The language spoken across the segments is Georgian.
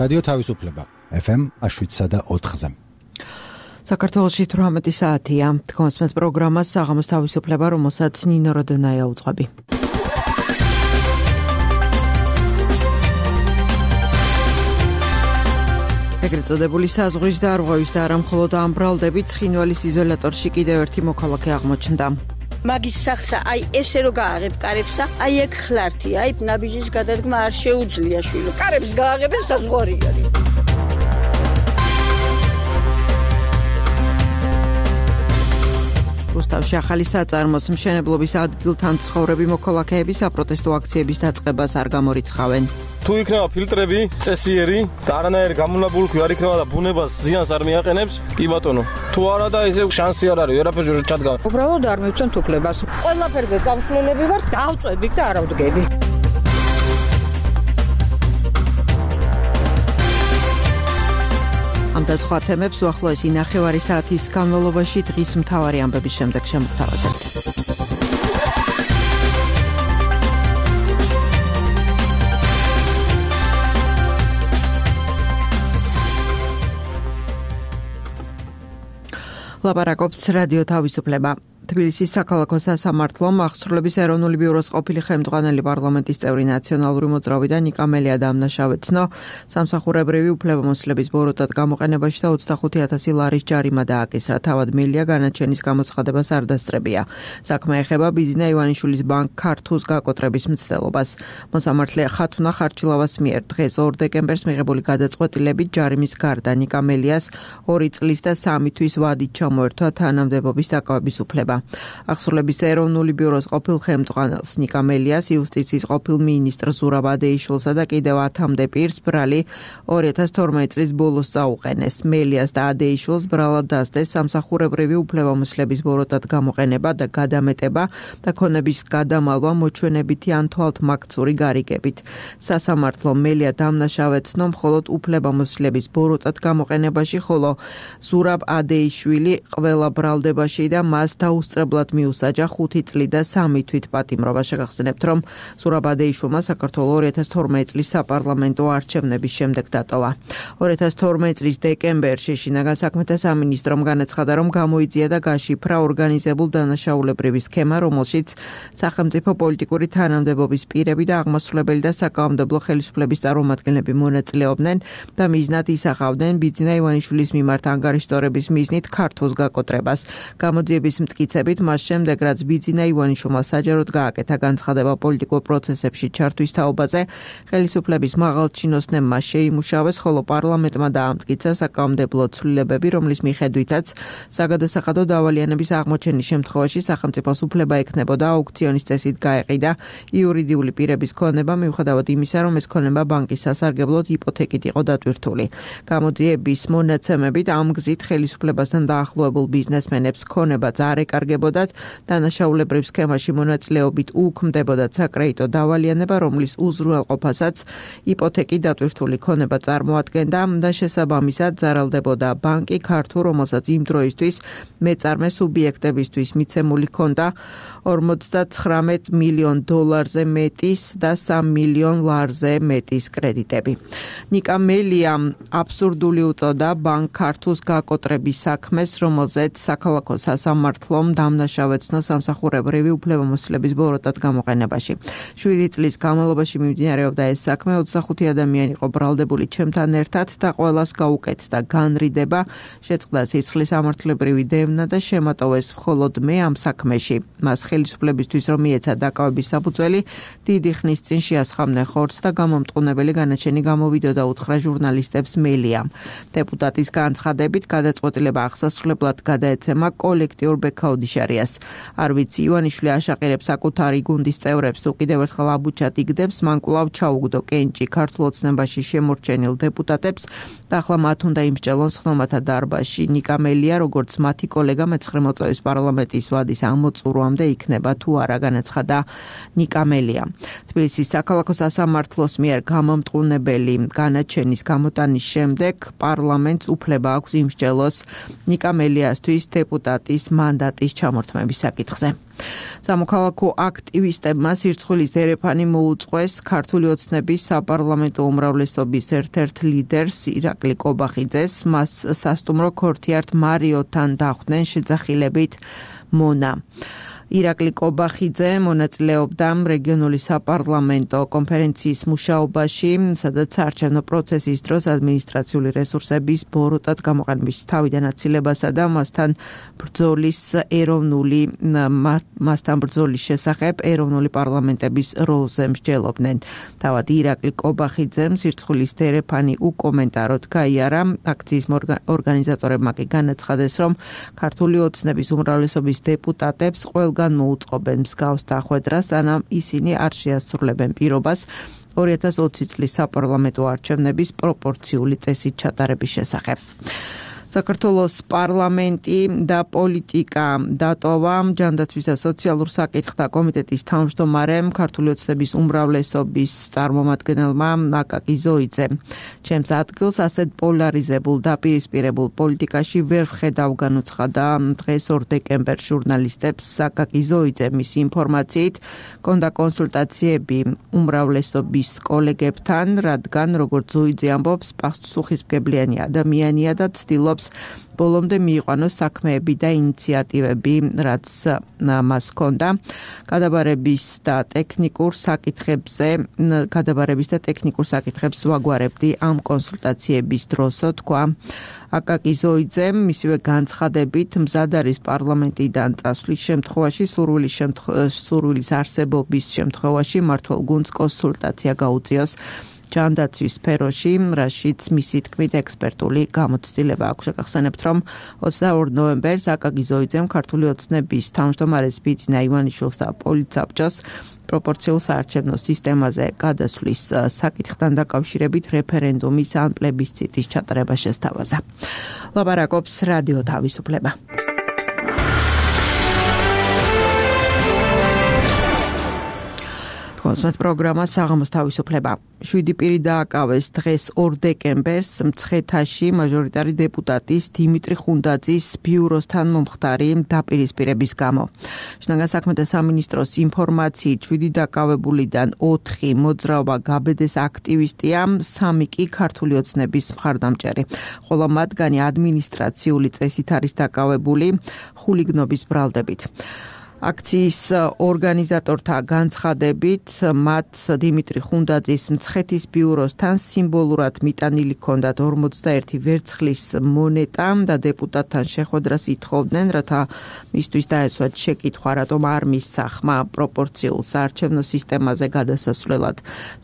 რადიო თავისუფლება FM 7.4-ზე. საქართველოში 18 საათია. თქვენს პროგრამას საღამოს თავისუფლება, რომელსაც ნინო როდონაია უძღვები. ეგრეთ წოდებული საზღვრის და არღვევის და არა მხოლოდ ამ ბრალდებით ცხინვალის იზოლატორში კიდევ ერთი მოქალაქე აღმოჩნდა. მაგის სახსა აი ესე რო გააღებ კარებსა, აი ეგ ხლართი, აი ნაბიჯის გადადგმა არ შეუძლია შვილო. კარებს გააღებენ საზღვარი არის. რუსთავში ახალი საწარმოს მშენებლობის ადგილთან ცხოვრები მოქალაქეები საპროტესტო აქციების დაწყებას არ გამორიცხავენ. თუ იქნება ფილტრები, წესიერი და არანაირი გამონაბულქვი არ იქნება და ბუნებას ზიანს არ მიაყენებს, კი ბატონო. თუ არა და ესე შანსი არ არის, ვერაფერში ვერ ჩადგა. უბრალოდ არ მივცემთ უფლებას. ყველაფერზე გამსვლელები ვარ, დავწვევით და არ ავდგები. ამ და სხვა თემებს უახლოესი 9 საათის განმავლობაში დღის მთავარი ამბების შემდეგ შემოგთავაზებთ. ლაპარაკობს რადიო თავისუფლება. თბილისის საქალაქო სასამართლომ აღსრულების ეროვნული ბიუროს ყოფილი ხელმძღვანელი პარლამენტის წევრი ნაციონალური მოძრავი და ნიკა მელია დამნაშავეცნო სამსახურებრივი უფლებამოსილების ბოროტად გამოყენებაში და 25,000 ლარის ჯარიმა დააკისრა. თავად მელია განაჩენის გამოცხადებას არ დასწრებია. საქმე ეხება ბიძინა ივანიშვილის ბანკ ქართულს გაკოტრების მცდელობას. მოსამართლე ხათუნა ხარჩილავას მიერ დღეს 2 დეკემბერს მიღებული გადაწყვეტილებით ჯარიმის გარდა ნიკა მელიას 2 წლის და 3 თვის ვადით ჩამოერთვა თანამდებობის დაკავების უფლება. აღსრულების ეროვნული ბიუროს ყოფილ ხელმძღვანელს ნიკა მელიას, იუსტიციის ყოფილ მინისტრ ზურაბ ადეიშვილსა და კიდევ 10-მდე პირს ბრალი 2012 წლის ბოლოს წაუყენეს. მელიას და ადეიშვილს ბრალად დასდეს სამსახურებრივი უფლებამოსილების ბოროტად გამოყენება და გადამეტება და ქონების გადამალვა მოჩვენებითი ან თვალთმაქცური გარიგებით. სასამართლომ მელია დამნაშავეცნო მხოლოდ უფლებამოსილების ბოროტად გამოყენებაში, ხოლო ზურაბ ადეიშვილი ყველა ბრალდებაში და მას დაუსწრებლად მიუსაჯა 5 წლით და 3 თვით პატიმრობა. შეგახსენებთ, რომ ზურაბ ადეიშვილმა საქართველოს 2012 წლის საპარლამენტო არჩევნების შემდეგ დატოვა. 2012 წლის დეკემბერში შინაგან საქმეთა სამინისტრომ განაცხადა, რომ გამოიძია და გაშიფრა ორგანიზებულ დანაშაულებრივი სქემა, რომელშიც სახელმწიფო პოლიტიკური თანამდებობის პირები და აღმასრულებელი და საკანონმდებლო ხელისუფლების წარმომადგენლები მონაწილეობდნენ და მიზნად ისახავდნენ ბიძინა ივანიშვილის მიმართ ანგარიშწორების მიზნით ქართულს გაკოტრებას. გამოძიების მტკიცებით მას შემდეგ, რაც ბიძინა ივანიშვილმა საჯაროდ გააკეთა განცხადება პოლიტიკურ პროცესებში ჩართვის თაობაზე, ხელისუფლების მაღალჩინოსნებმა შეიმუშავეს, ხოლო პარლამენტმა დაამტკიცა საკანონმდებლო ცვლილებები, რომლის მიხედვითაც საგადასახადო დავალიანების აღმოჩენის შემთხვევაში სახელმწიფოს უფლება ექნებოდა აუქციონის წესით გაეყიდა იურიდიული პირების ქონება, მიუხედავად იმისა, რომ ეს ქონება ბანკის სასარგებლოდ იპოთეკით იყო დატვირთული. გამოძიების მონაცემებით ამ გზით ხელისუფლებასთან დაახლოებულ ბიზნესმენებს ქონებაც არ ეკარგებოდათ, დანაშაულებრივ სქემაში მონაწილეობით უქმდებოდათ საკრედიტო დავალიანება, რომლის უზრუნველყოფასაც იპოთეკით დატვირთული ქონება წარმოადგენდა და შესაბამისად ზარალდებოდა ბანკი ქართულ, რომელსაც იმ დროისთვის მეწარმე სუბიექტებისთვის მიცემული ჰქონდა 59 მილიონ დოლარზე მეტის და 3 მილიონ ლარზე მეტის კრედიტები. ნიკა მელია აბსურდული უწოდა ბანკ ქართულს გაკოტრების საქმეს, რომელზეც საქალაქო სასამართლომ დამნაშავეცნო სამსახურებრივი უფლებამოსილების ბოროტად გამოყენებაში. 7 წლის განმავლობაში მიმდინარეობდა ეს საქმე, 25 ადამიანი იყო ბრალდებული ჩემთან ერთად და ყველას გაუკეთდა განრიდება, შეწყდა სიცხლის ამართლებრივი დევნა და შემატოვეს მხოლოდ მე ამ საქმეში. მას ხელისუფლებისთვის რომ მიეცა დაკავების საფუძველი, დიდი ხნის წინ შეასხამდნენ ხორცს და გამომტყუნებელი განაჩენი გამოვიდოდა უთხრა ჟურნალისტებს მელიამ. დეპუტატის განცხადებით გადაწყვეტილება აღსასრულებლად გადაეცემა კოლექტიურ ბექაოდიშარიას. არ ვიცი, ივანიშვილი აშაყირებს საკუთარი გუნდის წევრებს თუ კიდევ ერთხელ აბუჩად იგდებს, მან კვლავ ჩაუგდო კენჭი ქართულ ოცნებაში შემორჩენილ დეპუტატებს და ახლა მათ უნდა იმსჯელონ სხდომათა დარბაზში. ნიკა მელია, როგორც მათი კოლეგა მე-9 მოწვევის პარლამენტის ვადის ამოწურვამდე იქნება თუ არა, განაცხადა ნიკა მელია. თბილისის საქალაქო სასამართლოს მიერ გამომტყუნებელი განაჩენის გამოტანის შემდეგ პარლამენტს უფლება აქვს იმსჯელოს ნიკა მელიასთვის დეპუტატის მანდატის პროცესის ჩამორთმების საკითხზე. სამოქალაქო აქტივისტებმა სირცხვილის დერეფანი მოუწყვეს ქართული ოცნების საპარლამენტო უმრავლესობის ერთ-ერთ ლიდერს ირაკლი კობახიძეს, მას სასტუმრო ქორთიართ მარიოთან დახვდნენ შეძახილებით მონა. ირაკლი კობახიძე მონაწილეობდა რეგიონული საპარლამენტო კონფერენციის მუშაობაში, სადაც საარჩევნო პროცესის დროს ადმინისტრაციული რესურსების ბოროტად გამოყენების თავიდან აცილებასა და მასთან ბრძოლის შესახებ ეროვნული პარლამენტების როლზე მსჯელობდნენ. თავად ირაკლი კობახიძემ სირცხვილის დერეფანი უკომენტაროდ გაიარა, აქციის ორგანიზატორებმა კი განაცხადეს, რომ ქართული ოცნების უმრავლესობის დეპუტატებს ყველგან მოუწყობენ მსგავს დახვედრას, სანამ ისინი არ შეასრულებენ პირობას 2020 წლის საპარლამენტო არჩევნების პროპორციული წესით ჩატარების შესახებ. საქართველოს პარლამენტი და პოლიტიკა დატოვა ჯანდაცვის და სოციალურ საკითხთა კომიტეტის თავმჯდომარემ ქართული ოცნების უმრავლესობის წარმომადგენელმა აკაკი ზოიძემ. ჩემს ადგილს ასეთ პოლარიზებულ დაპირისპირებულ პოლიტიკაში ვერ ვხედავ, განუცხადა დღეს 2 დეკემბერს ჟურნალისტებს აკაკი ზოიძე. მისი ინფორმაციით ჰქონდა კონსულტაციები უმრავლესობის კოლეგებთან, რადგან როგორც ზოიძე ამბობს, პასუხისმგებლიანი ადამიანია და ცდილობს ბოლომდე მიიყვანოს საქმეები და ინიციატივები, რაც მას ჰქონდა. გადაბარების და ტექნიკურ საკითხებს ვაგვარებდი ამ კონსულტაციების დროსო, თქვა აკაკი ზოიძემ. მისივე განცხადებით მზად არის პარლამენტიდან წასვლის შემთხვევაში, სურვილის არსებობის შემთხვევაში მმართველ გუნდს კონსულტაცია გაუწიოს ჯანდაცვის სფეროში, რაშიც მისი თქმით ექსპერტული გამოცდილება აქვს. შეგახსენებთ, რომ 22 ნოემბერს აკაკი ზოიძემ ქართული ოცნების თავმჯდომარეს ბიძინა ივანიშვილს და პოლიტსაბჭოს პროპორციულ საარჩევნო სისტემაზე გადასვლის საკითხთან დაკავშირებით რეფერენდუმის ან პლებისციტის ჩატარება შესთავაზა. ლაპარაკობს რადიო თავისუფლება. კონსმეთ პროგრამა საღამოს თავისუფლება. 7 პირი დააკავეს დღეს 2 დეკემბერს მცხეთაში მაჟორიტარი დეპუტატის დიმიტრი ხუნდაძის ბიუროსთან მომხდარი დაპირისპირების გამო. შინაგან საქმეთა სამინისტროს ინფორმაციით 7 დაკავებულიდან 4 მოძრაობა გაბედეს აქტივისტია, 3 კი ქართული ოცნების მხარდამჭერი, ხოლო მათგანი ადმინისტრაციული წესით არის დაკავებული ხულიგნობის ბრალდებით. აქციის ორგანიზატორთა განცხადებით, მათ დიმიტრი ხუნდაძის მცხეთის ბიუროსთან სიმბოლურად მიტანილი ჰქონდათ 41 ვერცხლის მონეტა და დეპუტატთან შეხვედრას ითხოვდნენ, რათა მისთვის დაეცვათ შეკითხვა, რატომ არ მისცა ხმა პროპორციულ საარჩევნო სისტემაზე გადასასვლელად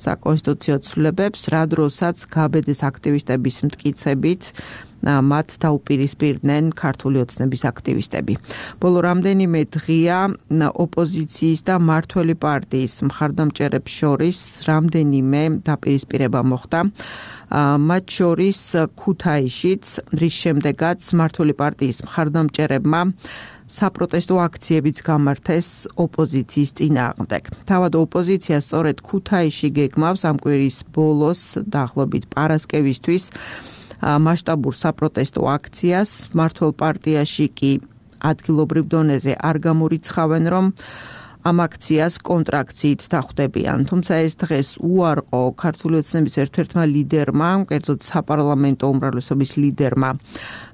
საკონსტიტუციო ცვლილებებს, რა დროსაც გაბედეს აქტივისტების მტკიცებით მათ დაუპირისპირდნენ ქართული ოცნების აქტივისტები. ბოლო რამდენიმე დღეა ოპოზიციის და მმართველი პარტიის მხარდამჭერებს შორის რამდენიმე დაპირისპირება მოხდა. მათ შორის ქუთაისშიც, რის შემდეგაც მმართველი პარტიის მხარდამჭერებმა საპროტესტო აქციებიც გამართეს ოპოზიციის წინააღმდეგ. თავად ოპოზიცია სწორედ ქუთაისში გეგმავს ამ კვირის ბოლოს დაახლოებით პარასკევისთვის მასშტაბურ საპროტესტო აქციას. მმართველ პარტიაში კი ადგილობრივ დონეზე არ გამორიცხავენ, რომ ამ აქციას კონტრაქციით დახვდებიან. თუმცა ეს დღეს უარყო ქართული ოცნების ერთ-ერთმა ლიდერმა, კერძოდ საპარლამენტო უმრავლესობის ლიდერმა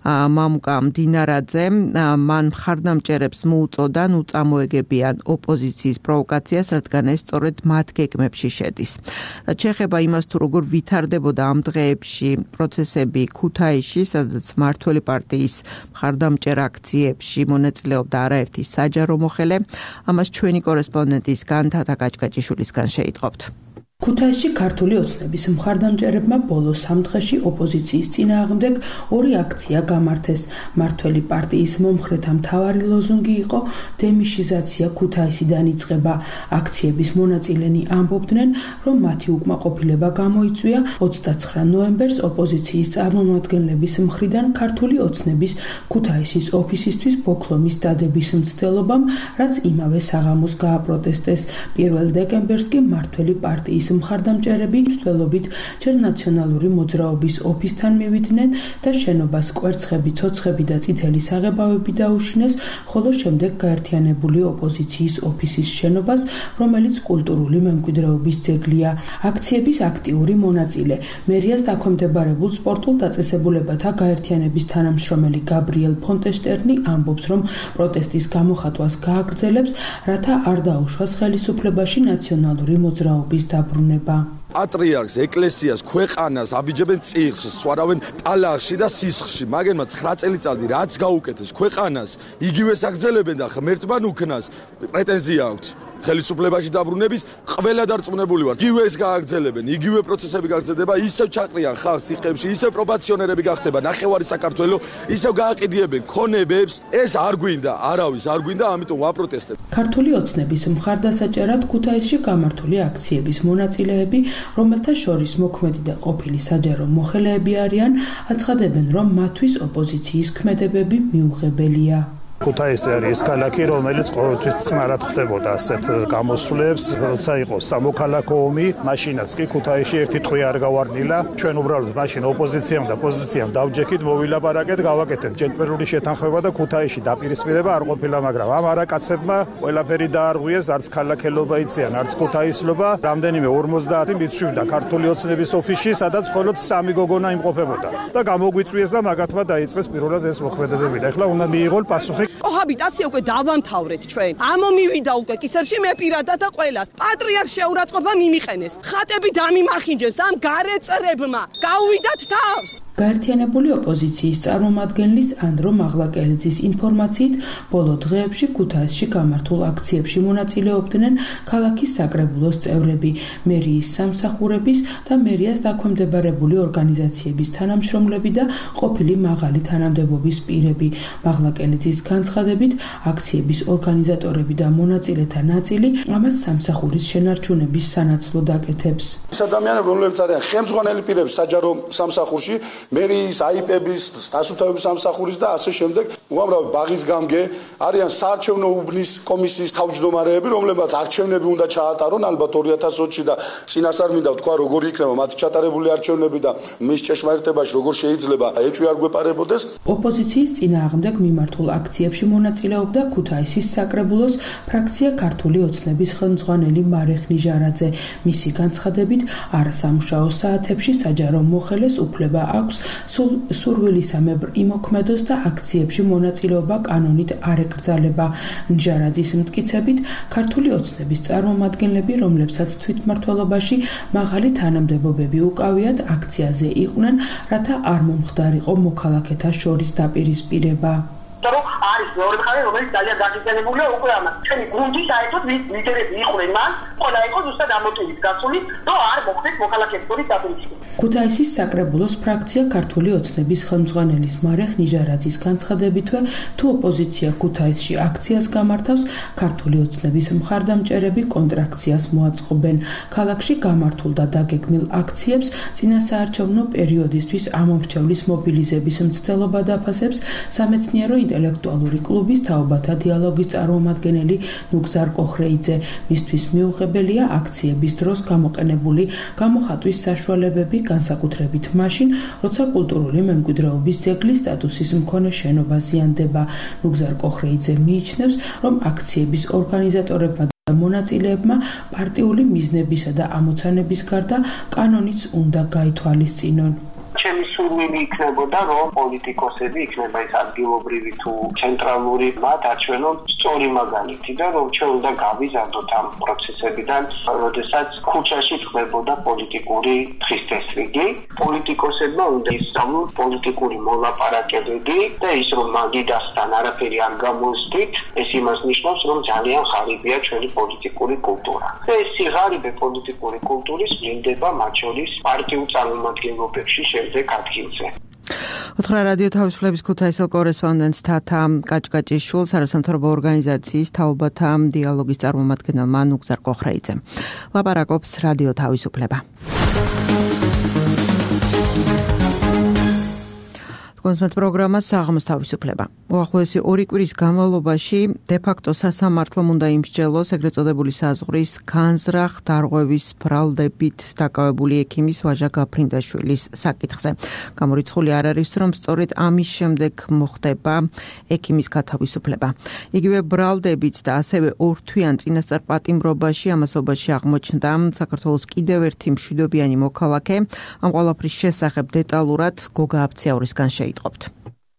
მამუკა მდინარაძემ, მან მხარდამჭერებს მოუწოდა ნუ წამოეგებიან ოპოზიციის პროვოკაციას, რადგან ეს სწორედ მათ გეგმებში შედის. რაც შეეხება იმას, თუ როგორ ვითარდებოდა ამ დღეებში პროცესები ქუთაისში, სადაც მმართველი პარტიის მხარდამჭერ აქციებში მონაწილეობდა არაერთი საჯარო მოხელე, ამას ჩვენი კორესპონდენტისგან თათა კაჭკაჭიშვილისგან შეიტყობთ. ქუთაისში ქართული ოცნების მხარდამჭერებმა ბოლო 3 დღეში ოპოზიციის წინააღმდეგ 2 აქცია გამართეს. მმართველი პარტიის მომხრეთა მთავარი ლოზუნგი იყო დემიშიზაცია ქუთაისიდან იწყება. აქციების მონაწილენი ამბობდნენ, რომ მათი უკმაყოფილება გამოიწვია 29 ნოემბერს ოპოზიციის წარმომადგენლების მხრიდან ქართული ოცნების ქუთაისის ოფისისთვის ბოქლომის დადების მცდელობამ, რაც იმავე საღამოს გააპროტესტეს. 1 დეკემბერს კი მმართველი პარტიის მხარდამჭერები მცდელობით ჯერ ნაციონალური მოძრაობის ოფისთან მივიდნენ და შენობას კვერცხები, ცოცხები და წითელი საღებავები დაუშინეს, ხოლო შემდეგ გაერთიანებული ოპოზიციის ოფისის შენობას, რომელიც კულტურული მემკვიდრეობის ძეგლია. აქციების აქტიური მონაწილე, მერიას დაქვემდებარებულ სპორტულ დაწესებულებათა გაერთიანების თანამშრომელი გაბრიელ ფონტეშტერნი ამბობს, რომ პროტესტის გამოხატვას გააგრძელებს, რათა არ დაუშვას ხელისუფლებაში ნაციონალური მოძრაობის დაბრუნება. პატრიარქს, ეკლესიას, ქვეყანას აბიჯებენ წიხს, სვარავენ ტალახში და სისხლში. მაგერმა 9 წელიწადი რაც გაუკეთეს ქვეყანას, იგივეს აგრძელებენ და ღმერთთან უქნას პრეტენზია აქვს. ხელისუფლებაში დაბრუნების ყველა დარწმუნებული ვარ. იგივეს გააგრძელებენ, იგივე პროცესები გაგრძელდება, ისევ ჩაყრიან ხალხს სიხეებში, ისევ პრობაციონერები გახდება ნახევარი საქართველო, ისევ გააყიდიებენ ქონებებს. ეს არ გვინდა, არავის არ გვინდა, ამიტომ ვაპროტესტებ. ქართული ოცნების მხარდასაჭერად ქუთაისში გამართული აქციების მონაწილეები, რომელთა შორის მოქმედი და ყოფილი საჯარო მოხელეები არიან, აცხადებენ, რომ მათთვის ოპოზიციის ქმედებები მიუღებელია. ქუთაისი არის ქალაქი, რომელიც ყოველთვის წინარად ხდებოდა ასეთ გამოსვლებს, როცა იყო სამოქალაქო ომი, მაშინაც კი ქუთაისში ერთი ტყვი არ გავარდნილა. ჩვენ უბრალოდ მაშინ ოპოზიციამ და პოზიციამ დავჯექით, მოვილაპარაკეთ, გავაკეთეთ ჯენტლმენური შეთანხმება და ქუთაისში დაპირისპირება არ ყოფილა, მაგრამ ამ არაკაცებმა ყველაფერი დაარღვიეს, არც ქალაქელობა იციან, არც ქუთაისლობა. რამდენიმე 50 მიცვიდა ქართული ოცნების ოფისში, სადაც მხოლოდ 3 გოგონა იმყოფებოდა და გამოგვიწვიეს და მაგათმა დაიწყეს პირველად ეს მოქმედებები. და ეხლა უნდა მიიღონ პასუხი. კოჰაბიტაცია უკვე დავამთავრეთ ჩვენ. ამომივიდა უკვე კისერში მე პირადად და ყველას. პატრიარქ შეურაცხყოფა მიმიყენეს. ხატები დამიმახინჯებს ამ გარეწრებმა. გაუვიდათ თავს. გაერთიანებული ოპოზიციის წარმომადგენლის ანდრო მაღლაკელიძის ინფორმაციით, ბოლო დღეებში ქუთაისში გამართულ აქციებში მონაწილეობდნენ ქალაქის საკრებულოს წევრები, მერიის სამსახურების და მერიას დაქვემდებარებული ორგანიზაციების თანამშრომლები და ყოფილი მაღალი თანამდებობის პირები. მაღლაკელიძის განცხადებით, აქციების ორგანიზატორები და მონაწილეთა ნაწილი ამას სამსახურის შენარჩუნების სანაცვლოდ აკეთებს. ის ადამიანები, რომლებიც არიან ხელმძღვანელი პირები საჯარო სამსახურში, მერიის, აიპების, დასუფთავების სამსახურის და ასე შემდეგ, უამრავი ბაღის გამგე არიან საარჩევნო უბნის კომისიის თავმჯდომარეები, რომლებმაც არჩევნები უნდა ჩაატარონ ალბათ 2020-ში და წინასწარ მინდა ვთქვა, როგორი იქნება მათი ჩატარებული არჩევნები და მის ჭეშმარიტებაში როგორ შეიძლება ეჭვი არ გვეპარებოდეს. ოპოზიციის წინააღმდეგ მიმართულ აქციებში მონაწილეობდა ქუთაისის საკრებულოს ფრაქცია ქართული ოცნების ხელმძღვანელი მარეხ ნიჟარაძე. მისი განცხადებით, არასამუშაო საათებში საჯარო მოხელეს უფლება აქვს სურვილისამებრ იმოქმედოს და აქციებში მონაწილეობა კანონით არ ეკრძალება. ნიჟარაძის მტკიცებით, ქართული ოცნების წარმომადგენლები, რომლებსაც თვითმმართველობაში მაღალი თანამდებობები უკავიათ, აქციაზე იყვნენ, რათა არ მომხდარიყო მოქალაქეთა შორის დაპირისპირება. რომ არის მეორე მხარე, რომელიც ძალიან გაგრძელებულია უკვე ამას. ჩვენი გუნდი საერთოდ ლიდერები იყვნენ მან, ყველა იყო ზუსტად ამოტივით გასული, რომ არ მოხდეს მოქალაქეების შორის დაპირისპირება. ქუთაისის საკრებულოს ფრაქცია ქართული ოცნების ხელმძღვანელის მარეხ ნიჟარაძის განცხადებითვე, თუ ოპოზიცია ქუთაისში აქციას გამართავს, ქართული ოცნების მხარდამჭერები კონტრაქციას მოაწყობენ. ქალაქში გამართულ და დაგეგმილ აქციებს წინასაარჩევნო პერიოდისთვის ამომრჩევლის მობილიზების მცდელობა დაფასებს სამეცნიერო ინტელექტუალური კლუბის თაობათა დიალოგის წარმომადგენელი ნუგზარ კოხრეიძე. მისთვის მიუღებელია აქციების დროს გამოყენებული გამოხატვის საშუალებები, განსაკუთრებით მაშინ, როცა კულტურული მემკვიდრეობის ძეგლის სტატუსის მქონე შენობა ზიანდება. ნუგზარ კოხრეიძე მიიჩნევს, რომ აქციების ორგანიზატორებმა და მონაწილეებმა პარტიული მიზნებისა და ამოცანების გარდა კანონიც უნდა გაითვალისწინონ. ჩემი სურვილი იქნებოდა, რომ პოლიტიკოსები იქნება ეს ადგილობრივი თუ ცენტრალური მათ აჩვენონ სწორი მაგალითი და რომ ჩვენ უნდა გავიზარდოთ ამ პროცესებიდან, როდესაც ქუჩაში ხდებოდა პოლიტიკური დღესდღეობით. პოლიტიკოსებმა უნდა ისწავლონ პოლიტიკური მოლაპარაკებები და ის რომ მაგიდასთან არაფერი არ გამოსდით, ეს იმას ნიშნავს, რომ ძალიან ღარიბია ჩვენი პოლიტიკური კულტურა. და ეს სიღარიბე პოლიტიკური კულტურის ვლინდება მათ შორის პარტიულ წარმომადგენლობებში შემდეგ ადგილზე. უთხრა რადიო თავისუფლების ქუთაისელ კორესპონდენტს თათა კაჭკაჭიშვილს, არასამთავრობო ორგანიზაციის თაობათა დიალოგის წარმომადგენელმა ნუგზარ კოხრეიძემ. ლაპარაკობს რადიო თავისუფლება. კონსმეთ პროგრამა საღამოს თავისუფლება. უახლოესი 2 კვირის განმავლობაში დე-ფაქტო სასამართლომ უნდა იმსჯელოს ეგრეთ წოდებული საზღვრის განზრახ დარღვევის ბრალდებით დაკავებული ექიმის ვაჟა გაფრინდაშვილის საკითხზე. გამორიცხული არ არის, რომ სწორედ ამის შემდეგ მოხდება ექიმის გათავისუფლება. იგივე ბრალდებით და ასევე ორთვიან წინასწარ პატიმრობაში ამასობაში აღმოჩნდა საქართველოს კიდევ ერთი მშვიდობიანი მოქალაქე. ამ ყველაფრის შესახებ დეტალურად გოგა აფციაურისგან შეიტყობთ.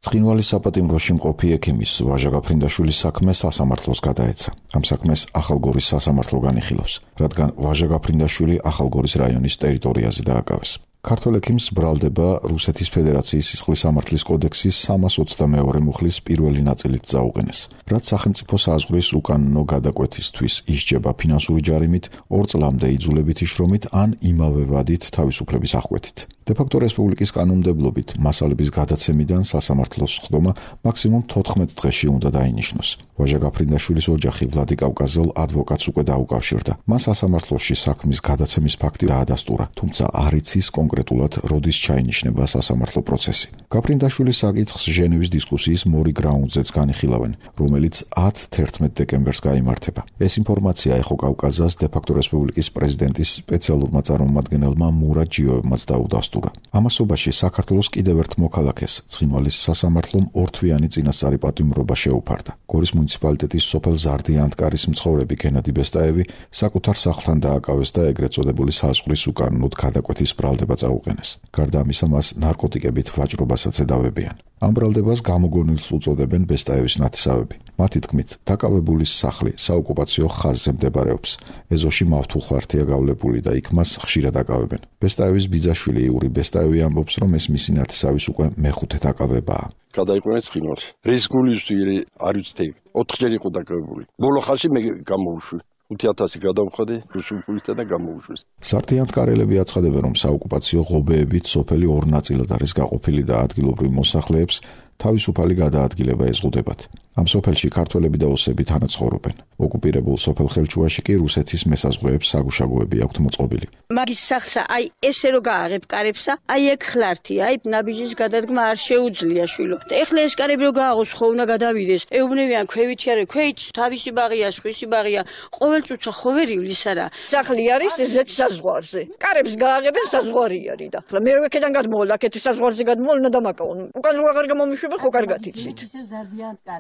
ცხინვალის საპატიმროში მყოფი ექიმის ვაჟა გაფრინდაშვილის საქმე სასამართლოს გადაეცა. ამ საქმეს ახალგორის სასამართლო განიხილავს, რადგან ვაჟა გაფრინდაშვილი ახალგორის რაიონის ტერიტორიაზე დააკავეს. ქართველ ექიმს ბრალდება რუსეთის ფედერაციის სისხლის სამართლის კოდექსის 322 მუხლის პირველი ნაწილით წაუყენეს, რაც სახელმწიფო საზღვრის უკანონო გადაკვეთისთვის ისჯება ფინანსური ჯარიმით, 2 წლამდე იძულებითი შრომით ან იმავე ვადით თავისუფლების აღკვეთით. დე-ფაქტო რესპუბლიკის კანონმდებლობით მასალების გადაცემიდან სასამართლოს სხდომა მაქსიმუმ 14 დღეში უნდა დაინიშნოს. ვაჟა გაფრინდაშვილის ოჯახი ვლადი კავკაზელ ადვოკატს უკვე დაუკავშირდა. მას სასამართლოში საქმის გადაცემის ფაქტი დაადასტურა, თუმცა არ იცის კონკრეტულად როდის ჩაინიშნება სასამართლო პროცესი. გაფრინდაშვილის საკითხს ჟენევის დისკუსიის მორი გრაუნდზეც განიხილავენ, რომელიც 10-11 დეკემბერს გაიმართება. ეს ინფორმაცია ეხო კავკაზას დე-ფაქტო რესპუბლიკის პრეზიდენტის სპეციალურმა წარმომადგენელმა მურად ჯიოევმაც დაუდასტურა. ამასობაში საქართველოს კიდევ ერთ მოქალაქეს ცხინვალის სასამართლომ ორთვიანი წინასწარი პატიმრობა შეუფარდა. გორის მუნიციპალიტეტის სოფელ ზარდიანთკარის მცხოვრები გენადი ბესტაევი საკუთარ სახლთან დააკავეს და ეგრეთ წოდებული საზღვრის უკანონოდ გადაკვეთის ბრალდება წაუყენეს. გარდა ამისა, მას ნარკოტიკებით ვაჭრობასაც ედავებიან. ამ ბრალდებას გამოგონილს უწოდებენ ბესტაევის ნათესავები. მათი თქმით, დაკავებულის სახლი საოკუპაციო ხაზზე მდებარეობს. ეზოში მავთულხართია გავლებული და იქ მას ხშირად აკავებენ. ბესტაევის ბიძაშვილი იური ბესტაევი ამბობს, რომ ეს მისი ნათესავის უკვე მეხუთე დაკავებაა. გადაიყვანეს ცხინვალში. რის გულისვირი არ ვიცი, 4-ჯერ იყო დაკავებული. ბოლო ხალხი მე გამოვუშვი. 5000 გადავხადე რუსულ ფულით და გამოვუშვეს. ზარდიანთკარელები აცხადებენ, რომ საოკუპაციო ღობეებით სოფელი 2 ნაწილად არის გაყოფილი და ადგილობრივ მოსახლეებს თავისუფალი გადაადგილება ეზღუდებათ. ამ სოფელში ქართველები და ოსები თანაც ცხოვრობენ. ოკუპირებულ სოფელ ხელჩუაში კი რუსეთის მესაზღვრეებს საგუშაგოები აქვთ მოწყობილი. მაგის სახსა აი ესე რო გააღებ კარებსა, აი ეგ ხლართია, აი ნაბიჯის გადადგმა არ შეუძლია შვილო. ეხლა ეს კარები რო გააღოს ხო უნდა გადავიდეს. ეუბნებიან ქვევითი არა, ქვეით თავისი ბაღია, სხვისი ბაღია, ყოველ წუთსა ხო ვერ ივლის არა. სახლი არის ზეც საზღვარზე. კარებს გააღებენ საზღვარი არის და. ახლა მე რო ეკედან გადმოვალ, აქეთ საზღვარზე გადმოვალ უნდა დამაკავონ. უკან რო აღარ გამომიშვება ხო კარგად იცით.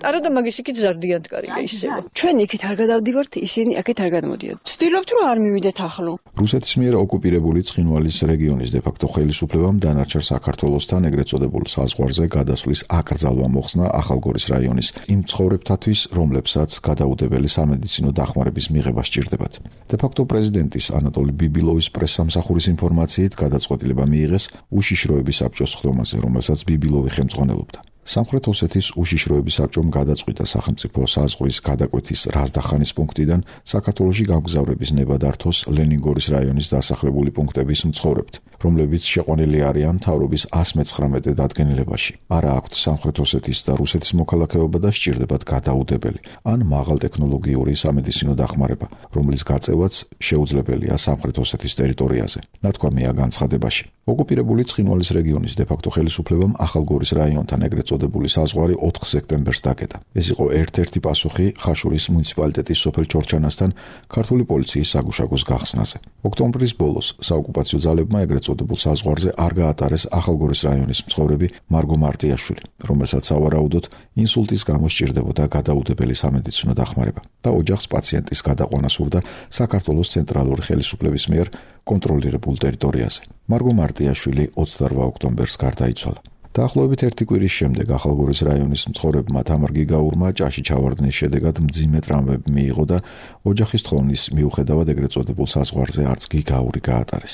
არა და მაგის იქით ზარდიანთკარია ისევა. ჩვენ იქით არ გადავდივართ, ისინი აქეთ არ გადმოდიოდათ. ვცდილობთ რომ არ მივიდეთ ახლო. რუსეთის მიერ ოკუპირებული ცხინვალის რეგიონის დე-ფაქტო ხელისუფლებამ დანარჩენ საქართველოსთან ეგრეთ წოდებულ საზღვარზე გადასვლის აკრძალვა მოხსნა ახალგორის რაიონის იმ მცხოვრებთათვის, რომლებსაც გადაუდებელი სამედიცინო დახმარების მიღება სჭირდებათ. დე-ფაქტო პრეზიდენტის ანატოლი ბიბილოვის პრესსამსახურის ინფორმაციით გადაწყვეტილება მიიღეს უშიშროების საბჭოს სხდომაზე, რომელსაც ბიბილოვი ხელმძღვანელობდა. სამხრეთ ოსეთის უშიშროების საბჭომ გადაწყვიტა სახელმწიფო საზღვრის გადაკვეთის რაზდახანის პუნქტიდან საქართველოში გამგზავრების ნება დართოს ლენინგორის რაიონის დასახლებული პუნქტების მცხოვრებთ, რომლებიც შეყვანილი არიან მთავრობის 119 დადგენილებაში. არა აქვთ სამხრეთ ოსეთის და რუსეთის მოქალაქეობა და სჭირდებათ გადაუდებელი ან მაღალტექნოლოგიური სამედიცინო დახმარება, რომლის გაწევაც შეუძლებელია სამხრეთ ოსეთის ტერიტორიაზე. ნათქვამია განცხადებაში. ოკუპირებული ცხინვალის რეგიონის დე-ფაქტო ხელისუფლებამ ახალგორის რაიონთან ეგრეთ წოდებული საზღვარი 4 სექტემბერს დაკეტა. ეს იყო ერთ-ერთი პასუხი ხაშურის მუნიციპალიტეტის სოფელ ჩორჩანასთან ქართული პოლიციის საგუშაგოს გახსნაზე. ოქტომბრის ბოლოს საოკუპაციო ძალებმა ეგრეთ წოდებულ საზღვარზე არ გაატარეს ახალგორის რაიონის მცხოვრები მარგო მარტიაშვილი, რომელსაც სავარაუდოდ ინსულტის გამო სჭირდებოდა გადაუდებელი სამედიცინო დახმარება და ოჯახს პაციენტის გადაყვანა სურდა საქართველოს ცენტრალური ხელისუფლების მიერ კონტროლირებულ ტერიტორიაზე. მარგო მარტიაშვილი 28 ოქტომბერს გარდაიცვალა. დაახლოებით 1 კვირის შემდეგ ახალგორის რაიონის მცხოვრებმა თამარ გიგაურმა ჭაში ჩავარდნის შედეგად მძიმე ტრამვები მიიღო და ოჯახის თხოვნის მიუხედავად ეგრეთ წოდებულ საზღვარზე არც გიგაური გაატარეს.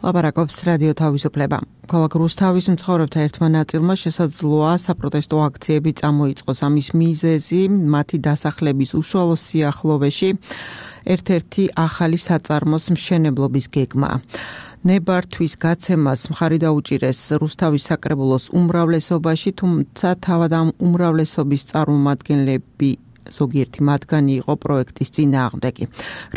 ლაპარაკობს რადიო თავისუფლება. ქალაქ რუსთავის მცხოვრებთა ერთმა ნაწილმა შესაძლოა საპროტესტო აქციები წამოიწყოს. ამის მიზეზი მათი დასახლების უშუალო სიახლოვეში ერთ-ერთი ახალი საწარმოს მშენებლობის გეგმაა. ნებართვის გაცემას მხარი დაუჭირეს რუსთავის საკრებულოს უმრავლესობაში, თუმცა თავად ამ უმრავლესობის წარმომადგენლები ზოგიერთი მათგანი იყო პროექტის წინააღმდეგი.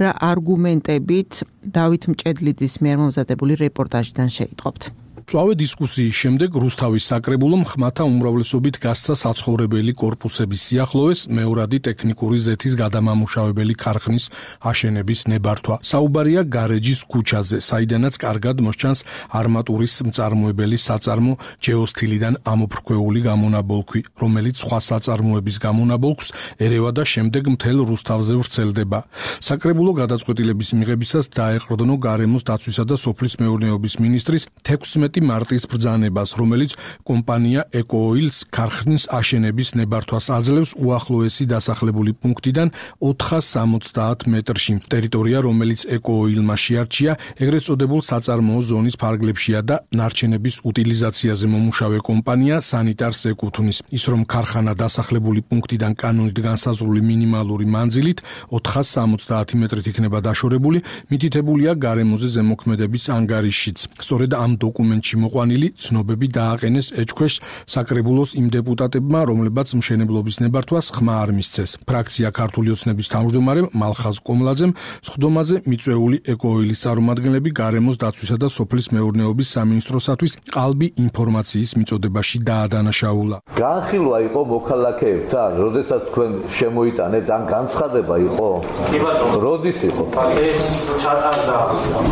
რა არგუმენტებით დავით მჭედლიძის მიერ მომზადებული რეპორტაჟიდან შეიტყობთ. წვავე დისკუსიის შემდეგ რუსთავის საკრებულომ ხმათა უმრავლესობით გასცა საცხოვრებელი კორპუსების სიახლოვეს მეორადი ტექნიკური ზეთის გადამამუშავებელი ქარხნის აშენების ნებართვა. საუბარია გარეჯის ქუჩაზე, საიდანაც კარგად მოსჩანს არმატურის მწარმოებელი საწარმო ჯეოსთილიდან ამოფრქვეული გამონაბოლქვი, რომელიც სხვა საწარმოების გამონაბოლქვს ერევა და შემდეგ მთელ რუსთავზე ვრცელდება. საკრებულო გადაწყვეტილების მიღებისას დაეყრდნო გარემოს დაცვისა და სოფლის მეურნეობის მინისტრის 16 მარტის ბრძანებას, რომელიც კომპანია ეკოოილს ქარხნის აშენების ნებართვას აძლევს უახლოესი დასახლებული პუნქტიდან 470 მეტრში. ტერიტორია, რომელიც ეკოოილმა შეარჩია, ეგრეთ წოდებულ საწარმოო ზონის ფარგლებშია და ნარჩენების უტილიზაციაზე მომუშავე კომპანია სანიტარს ეკუთვნის. ის რომ ქარხანა დასახლებული პუნქტიდან კანონით განსაზღვრული მინიმალური მანძილით 470 მეტრით იქნება დაშორებული, მითითებულია გარემოზე ზემოქმედების ანგარიშშიც. სწორედ ამ დოკუმენტში მოყვანილი ცნობები დააყენეს ეჭქვეშ საკრებულოს იმ დეპუტატებმა, რომლებაც მშენებლობის ნებართვას ხმა არ მისცეს. ფრაქცია ქართული ოცნების თავმჯდომარემ მალხაზ კომლაძემ სხდომაზე მიწვეული ეკოოილის წარმომადგენლები გარემოს დაცვისა და სოფლის მეურნეობის სამინისტროსათვის ყალბი ინფორმაციის მიწოდებაში დაადანაშაულა. განხილვა იყო მოქალაქეებთან, როდესაც თქვენ შემოიტანეთ, ან განცხადება იყო? კი ბატონო. როდის იყო? ეს ჩატარდა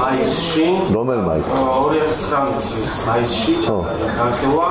მაისში. რომელ მაისში? 2019 წლის მაისში ჩატარდა განხილვა.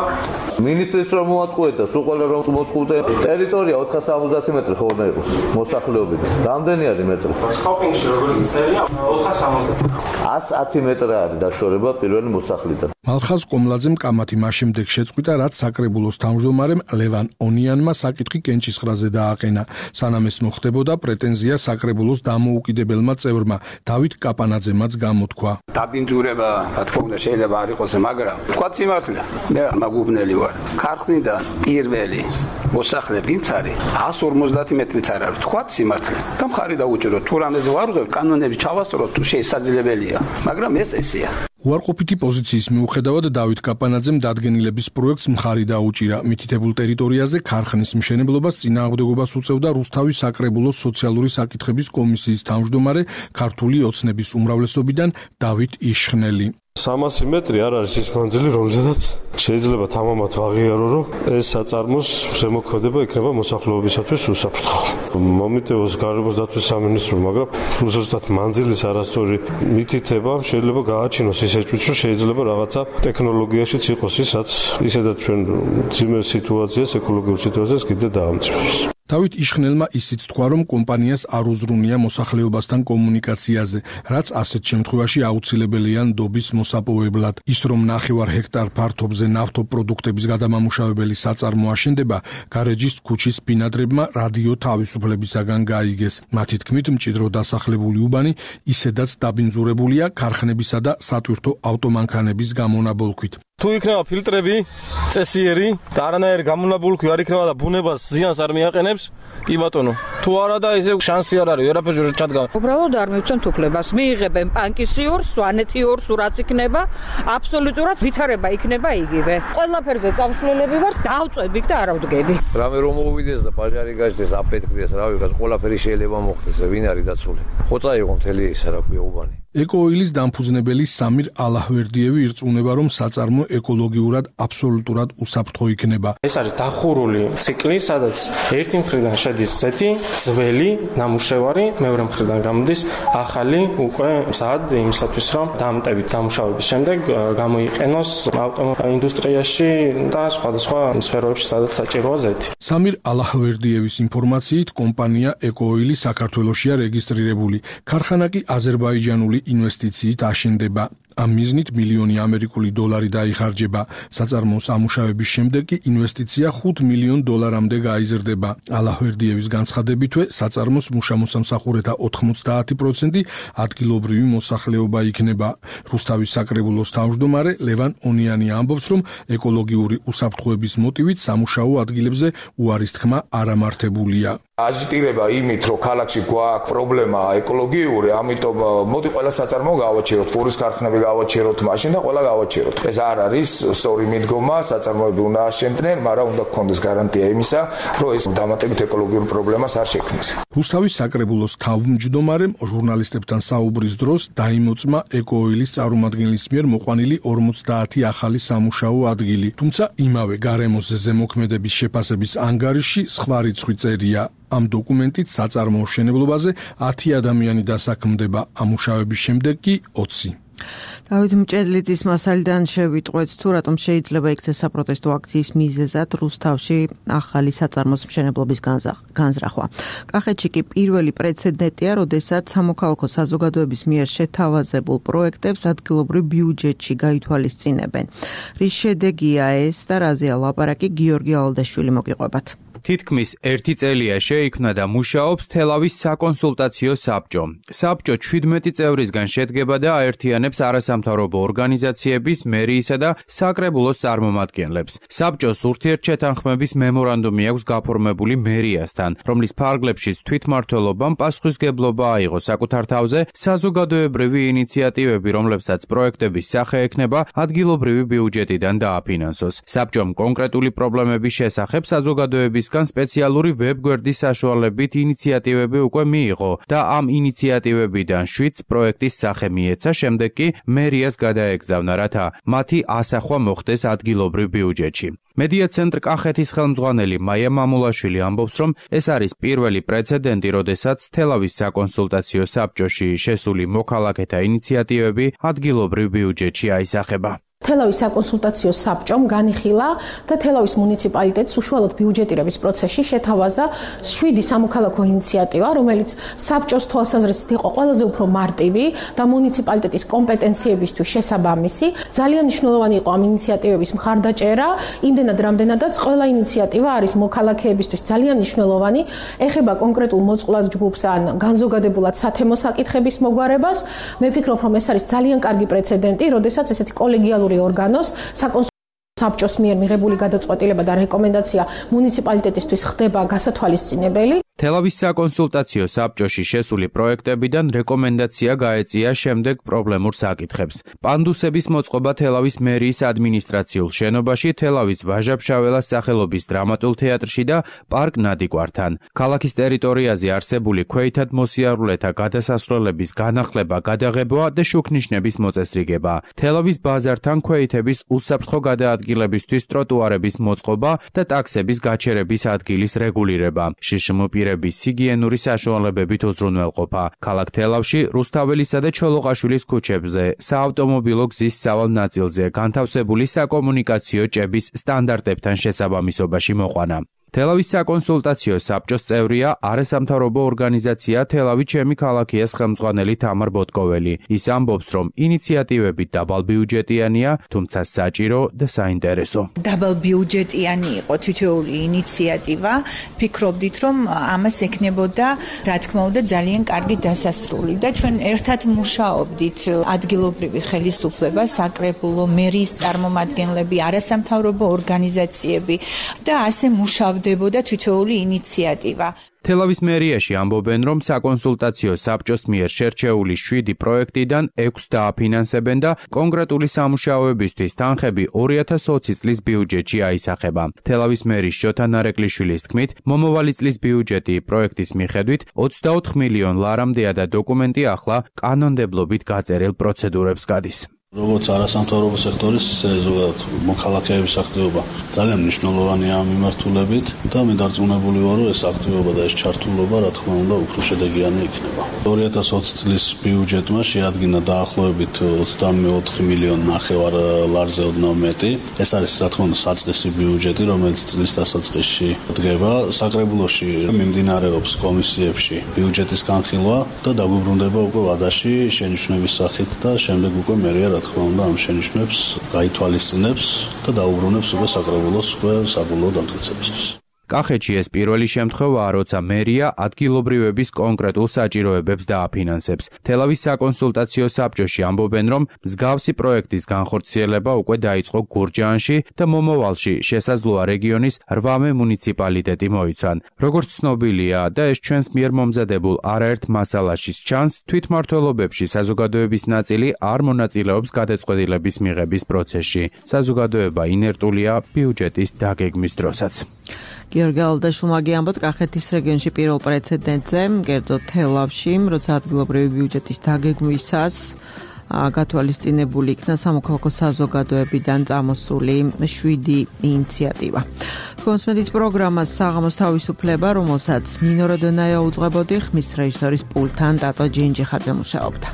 მინისტრის რომ მოატყუეთ და სულ ყველა რომ მოატყუეთ, ტერიტორია 470 მეტრი ხო უნდა იყოს მოსახლეობიდან. რამდენი არის მეტრი? სკოპინგში როგორც წერია 470. 110 მეტრი არის დაშორება პირველი მოსახლიდან. მალხაზ კომლაძემ კამათი მას შემდეგ შეწყვიტა, რაც საკრებულოს თავმჯდომარემ ლევან ონიანმა საკითხი კენჭისყრაზე დააყენა. სანამ ეს მოხდებოდა, პრეტენზია საკრებულოს დამოუკიდებელმა წევრმა დავით კაპანაძემაც გამოთქვა. დაბინძურება, რა თქმა უნდა, შეიძლება არ იყოს, მაგრამ თქვა სიმართლე. მე მაგუბნელი ვარ. ქარხნიდან პირველი მოსახლე ვინც არის 150 მეტრიც არ არის. თქვა სიმართლე. და მხარი დაუჭირო, თუ რამეზე ვარღვევ, კანონები ჩავასწოროთ, თუ შესაძლებელია, მაგრამ ეს ესეა. უარყოფითი პოზიციის მიუხედავად დავით კაპანაძემ დადგენილების პროექტს მხარი დაუჭირა. მითითებულ ტერიტორიაზე ქარხნის მშენებლობას წინააღმდეგობას უწევდა რუსთავის საკრებულოს სოციალური საკითხების კომისიის თავმჯდომარე ქართული ოცნების უმრავლესობიდან დავით იშხნელი. 300 მეტრი არ არის ის მანძილი, რომელზედაც შეიძლება თამამად ვაღიარო, რომ ეს საწარმოს შემოქმედება იქნება მოსახლეობისათვის უსაფრთხო. მომიტევოს გარემოს დაცვის სამინისტრო, მაგრამ ზუსტად მანძილის არასწორი მითითება შეიძლება გააჩინოს ის ეჭვიც, რომ შეიძლება რაღაცა ტექნოლოგიაშიც იყოს ის, რაც ისედაც ჩვენ ძიმე სიტუაციას, ეკოლოგიურ სიტუაციას კიდე დაამწვევს. დავით იშხნელმა ისიც თქვა, რომ კომპანიას არ უზრუნია მოსახლეობასთან კომუნიკაციაზე, რაც ასეთ შემთხვევაში აუცილებელია ნდობის მოსაპოვებლად. ის რომ 9 ჰექტარ ფართობზე ნავთობპროდუქტების გადამამუშავებელი საწარმო აშენდება, გარეჯის ქუჩის ბინადრებმა რადიო თავისუფლებისაგან გაიგეს. მათი თქმით, მჭიდრო დასახლებული უბანი ისედაც დაბინძურებულია ქარხნებისა და სატვირთო ავტომანქანების გამონაბოლქვით. თუ იქნება ფილტრები, წესიერი და არანაირი გამონაბოლქვი არ იქნება და ბუნებას ზიანს არ მიაყენებს, კი ბატონო. თუ არა და ესე შანსი არ არის, ვერაფერში ჩადგა. უბრალოდ არ მივცემთ უფლებას. მიიღებენ პანკისიორს, სვანეთიორს, რაც იქნება, აბსოლუტურად ვითარება იქნება იგივე. ყველაფერზე წამსვლელები ვარ, დავწვევი და არ ავდგები. რამე რომ მოვიდეს და პაჟარი გაჩნდეს, აფეთქდეს, რა ვიღაც, ყველაფერი შეიძლება მოხდეს, ვინ არის დაცული. ხოწა იყო მთელი ისა რა ქვია უბანი. ეკოოილის დამფუძნებელი სამირ ალაჰვერდიევი ირწმუნება, რომ საწარმო ეკოლოგიურად აბსოლუტურად უსაფრთხო იქნება. ეს არის დახურული ციკლი, სადაც ერთი მხრიდან შედის ზეთი, ძველი, ნამუშევარი, მეორე მხრიდან გამოდის ახალი, უკვე მზად იმისათვის, რომ დამტებით დამუშავების შემდეგ გამოიყენოს ავტოინდუსტრიაში და სხვადასხვა სფეროებში, სადაც საჭიროა ზეთი. სამირ ალაჰვერდიევის ინფორმაციით, კომპანია ეკოოილი საქართველოშია რეგისტრირებული. ქარხანა კი აზერბაიჯანული ინვესტიციით აშენდება. ამ მიზნით მილიონი ამერიკული დოლარი დაიხარჯება. საწარმოოს ამუშავების შემდეგ კი ინვესტიცია $5 მილიონ გაიზრდება. ალაჰვერდიევის განცხადებითვე, საწარმოს მუშა-მოსამსახურეთა 90% ადგილობრივი მოსახლეობა იქნება. რუსთავის საკრებულოს თავმჯდომარე ლევან ონიანი ამბობს, რომ ეკოლოგიური უსაფრთხოების მოტივით სამუშაო ადგილებზე უარის თქმა არ ამართებულია. აზიტირება იმით, რომ ქალაქში გვაქვს პრობლემა ეკოლოგიური, ამიტომ მოდი ყველა საწარმო გავაჩეროთ, ფურის ქარხნები გავაჩეროთ მაშინ და ყველა გავაჩეროთ. ეს არ არის სწორი მიდგომა, საწარმოები უნდა აშენდნენ, მაგრამ უნდა გქონდეს გარანტია იმისა, რომ ეს დამატებით ეკოლოგიურ პრობლემას არ შექმნეს. რუსთავის საკრებულოს თავმჯდომარემ ჟურნალისტებთან საუბრის დროს დაიმოწმა ეკოოილის წარმომადგენლის მიერ მოყვანილი 50 ახალი სამუშაო ადგილი. თუმცა იმავე გარემოზე ზემოქმედების შეფასების ანგარიში სხვა რიცხვი წერია. ამ დოკუმენტით საწარმოო მშენებლობაზე 10 ადამიანი დასაქმდება, ამუშავების შემდეგ კი 20. დავით მჭედლიძის მასალიდან შევიტყვეთ თუ რატომ შეიძლება იქცე საპროტესტო აქციის მიზეზად რუსთავში ახალი საწარმოს მშენებლობის განზრახვა. კახეთში კი პირველი პრეცედენტია, როდესაც სამოქალაქო საზოგადოების მიერ შეთავაზებულ პროექტებს ადგილობრივ ბიუჯეტში გაითვალისწინებენ. რის შედეგია ეს და რაზეა ლაპარაკი, გიორგი ალდაშვილი მოგიყვებათ. თითქმის 1 წელია შეიქმნა და მუშაობს თელავის საკონსულტაციო საბჭო. საბჭო 17 წევრისგან შედგება და აერთიანებს არასამთავრობო ორგანიზაციების, მერიისა და საკრებულოს წარმომადგენლებს. საბჭოს ურთიერთშეთანხმების მემორანდუმი აქვს გაფორმებული მერიასთან, რომლის ფარგლებშიც თვითმმართველობამ პასუხისგებლობა აიღო საკუთარ თავზე საზოგადოებრივი ინიციატივები, რომლებსაც პროექტების სახე ექნება ადგილობრივი ბიუჯეტიდან დააფინანსოს. საბჭომ კონკრეტული პრობლემების შესახებ საზოგადოების სპეციალური ვებგვერდის საშუალებით ინიციატივები უკვე მიიღო და ამ ინიციატივებიდან 7 პროექტის სახე მიეცა, შემდეგ კი მერიას გადაეგზავნა, რათა მათი ასახვა მოხდეს ადგილობრივ ბიუჯეტში. მედია ცენტრ კახეთის ხელმძღვანელი მაია მამულაშვილი ამბობს, რომ ეს არის პირველი პრეცედენტი, როდესაც თელავის საკონსულტაციო საბჭოში შესული მოქალაქეთა ინიციატივები ადგილობრივ ბიუჯეტში აისახება. თელავის საკონსულტაციო საბჭომ განიხილა და თელავის მუნიციპალიტეტს უშუალოდ ბიუჯეტირების პროცესში შეთავაზა 7 სამოქალაქო ინიციატივა, რომელიც საბჭოს თვალსაზრისით იყო ყველაზე უფრო მარტივი და მუნიციპალიტეტის კომპეტენციებისთვის შესაბამისი. ძალიან მნიშვნელოვანი იყო ამ ინიციატივების მხარდაჭერა, იმდენად რამდენადაც ყველა ინიციატივა არის მოქალაქეებისთვის ძალიან მნიშვნელოვანი, ეხება კონკრეტულ მოწყვლად ჯგუფს ან განზოგადებულად სათემო საკითხების მოგვარებას. მე ვფიქრობ, რომ ეს არის ძალიან კარგი პრეცედენტი, როდესაც ესეთი კოლეგიალური ორგანოს საბჭოს მიერ მიღებული გადაწყვეტილება და რეკომენდაცია მუნიციპალიტეტისთვის ხდება გასათვალისწინებელი. თელავის საკონსულტაციო საბჭოში შესული პროექტებიდან რეკომენდაცია გაეწია შემდეგ პრობლემურ საკითხებს. პანდუსების მოწყობა თელავის მერიის ადმინისტრაციულ შენობაში, თელავის ვაჟა-ფშაველას სახელობის დრამატულ თეატრში და პარკ ნადიგვართან. ქალაქის ტერიტორიაზე არსებული ქვეითად მოსიარულეთა გადასასვლელების განახლება, გადაღება და შუქნიშნების მოწესრიგება. თელავის ბაზართან ქვეითების უსაფრთხო გადაადგილებისთვის ტროტუარების მოწყობა და ტაქსების გაჩერების ადგილის რეგულირება. შიშმოპირების ჰიგიენური საშუალებებით უზრუნველყოფა. ქალაქ თელავში რუსთაველისა და ჩოლოყაშვილის ქუჩებზე, საავტომობილო გზის სავალ ნაწილზე განთავსებული საკომუნიკაციო ჭების სტანდარტებთან შესაბამისობაში მოყვანა. თელავის საკონსულტაციო საბჭოს წევრია არასამთავრობო ორგანიზაცია თელავი ჩემი ქალაქიას ხელმძღვანელი თამარ ბოტკოველი. ის ამბობს, რომ ინიციატივები დაბალბიუჯეტიანია, თუმცა საჭირო და საინტერესო. დაბალბიუჯეტიანი იყო თითოეული ინიციატივა. ფიქრობდით, რომ ამას ექნებოდა, რა თქმა უნდა, ძალიან კარგი დასასრული და ჩვენ ერთად მუშაობდით ადგილობრივი ხელისუფლება, საკრებულო, მერიის წარმომადგენლები, არასამთავრობო ორგანიზაციები და ასე მუშაობდით თითოეული ინიციატივა. თელავის მერიაში ამბობენ, რომ საკონსულტაციო საბჭოს მიერ შერჩეული 7 პროექტიდან 6 დააფინანსებენ და კონკრეტული სამუშაოებისთვის თანხები 2020 წლის ბიუჯეტში აისახება. თელავის მერის შოთა ნარეკლიშვილის თქმით, მომავალი წლის ბიუჯეტი პროექტის მიხედვით 24 მილიონ ლარამდეა და დოკუმენტი ახლა კანონმდებლობით გაწერილ პროცედურებს გადის. როგორც არასამთავრობო სექტორის ზოგადად მოქალაქეების აქტივობა ძალიან მნიშვნელოვანია ამ მიმართულებით და მე დარწმუნებული ვარ, რომ ეს აქტივობა და ეს ჩართულობა რა თქმა უნდა უფრო შედეგიანი იქნება. 2020 წლის ბიუჯეტმა შეადგინა დაახლოებით 24 მილიონ ნახევარ ლარზე ოდნავ მეტი. ეს არის რა თქმა უნდა საწყისი ბიუჯეტი, რომელიც წლის დასაწყისში დგება. საკრებულოში მიმდინარეობს კომისიებში ბიუჯეტის განხილვა და დაგვიბრუნდება უკვე ვადაში შენიშვნების სახით და შემდეგ უკვე მერია რა თქმა უნდა ამ შენიშვნებს გაითვალისწინებს და დაუბრუნებს უკვე საკრებულოს უკვე საბოლოო დამტკიცებისთვის. კახეთში ეს პირველი შემთხვევაა, როცა მერია ადგილობრივების კონკრეტულ საჭიროებებს დააფინანსებს. თელავის საკონსულტაციო საბჭოში ამბობენ, რომ მსგავსი პროექტის განხორციელება უკვე დაიწყო გურჯაანში და მომავალში შესაძლოა რეგიონის 8 მუნიციპალიტეტი მოიცვან. როგორც ცნობილია და ეს ჩვენს მიერ მომზადებულ არაერთ მასალაში ჩანს, თვითმმართველობებში საზოგადოების ნაწილი არ მონაწილეობს გადაწყვეტილების მიღების პროცესში. საზოგადოება ინერტულია ბიუჯეტის დაგეგმვის დროსაც. გიორგი ალდაშულმა გიამბოთ კახეთის რეგიონში პირველ პრეცედენტზე, კერძოდ თელავში, როცა ადგილობრივი ბიუჯეტის დაგეგმვისას გათვალისწინებული იქნა სამოქალაქო საზოგადოებიდან წამოსული 7 ინიციატივა. კონსმედის პროგრამას საღამოს თავისუფლება, რომელსაც ნინო როდონაია უძღვებოდი, ხმის რეჟისორის პულტთან ტატო ჯინჯიხაძე მუშაობდა.